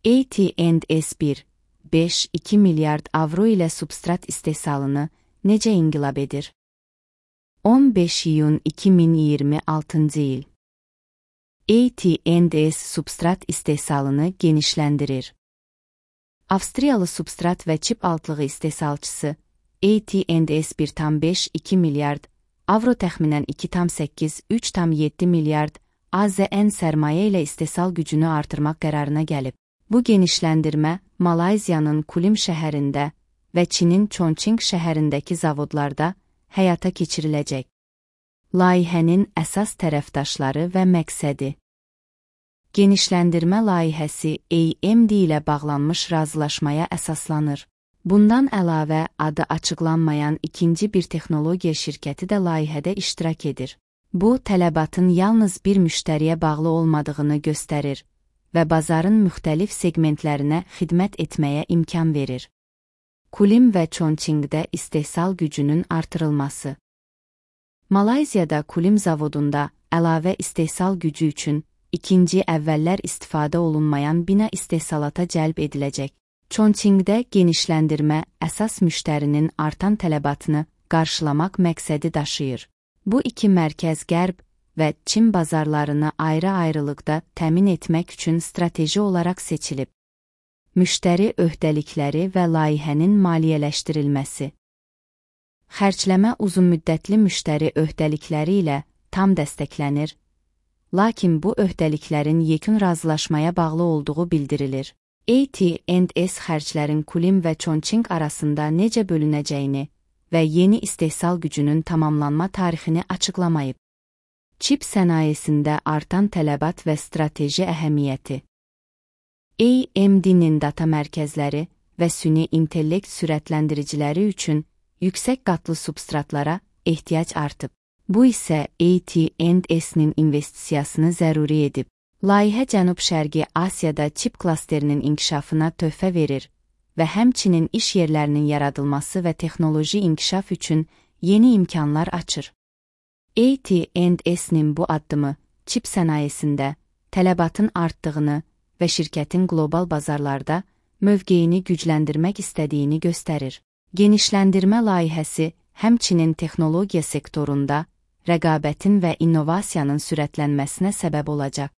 AT&S1, 5-2 milyard avro ilə substrat istehsalını necə inqilab edir? 15 iyun 2026 il. AT&S substrat istehsalını genişləndirir. Avstriyalı substrat və çip altlığı istehsalçısı AT&S 1,5-2 milyard avro təxminən 2,8-3,7 milyard AZN sərmayə ilə istehsal gücünü artırmaq qərarına gəlib. Bu genişləndirmə Malayziyanın Kulim şəhərində və Çinin Chongqing şəhərindəki zavodlarda həyata keçiriləcək. Layihənin əsas tərəfdaşları və məqsədi. Genişləndirmə layihəsi AMD ilə bağlanmış razılaşmaya əsaslanır. Bundan əlavə, adı açıqlanmayan ikinci bir texnologiya şirkəti də layihədə iştirak edir. Bu, tələbatın yalnız bir müştəriyə bağlı olmadığını göstərir və bazarın müxtəlif segmentlərinə xidmət etməyə imkan verir. Kulim və Chongqingdə istehsal gücünün artırılması. Malayziyada Kulim zavodunda əlavə istehsal gücü üçün ikinci əvvəllər istifadə olunmayan bina istehsalata cəlb ediləcək. Chongqingdə genişləndirmə əsas müştərinin artan tələbatını qarşılamaq məqsədi daşıyır. Bu iki mərkəz Qərb və Çin bazarlarını ayrı-ayrılıqda təmin etmək üçün strateji olaraq seçilib. Müştəri öhdəlikləri və layihənin maliyyələşdirilməsi. Xərcləmə uzunmüddətli müştəri öhdəlikləri ilə tam dəstəklənir, lakin bu öhdəliklərin yekun razılaşmaya bağlı olduğu bildirilir. AT&S xərclərin Kulim və Chongqing arasında necə bölünəcəyini və yeni istehsal gücünün tamamlanma tarixini açıqlamayıb. Çip sənayesində artan tələbat və strateji əhəmiyyəti. AMD-nin data mərkəzləri və süni intellekt sürətləndiriciləri üçün yüksək qatlı substratlara ehtiyac artıb. Bu isə AT&S-nin investisiyasını zəruri edib. Layihə Cənub-Şərqi Asiyada çip klasterinin inkişafına töhfə verir və həmçinin iş yerlərinin yaradılması və texnoloji inkişaf üçün yeni imkanlar açır. AT&S-nin bu addımı çip sənayesində tələbatın artdığını və şirkətin qlobal bazarlarda mövqeyini gücləndirmək istədiyini göstərir. Genişləndirmə layihəsi həmçinin texnologiya sektorunda rəqabətin və innovasiyanın sürətlənməsinə səbəb olacaq.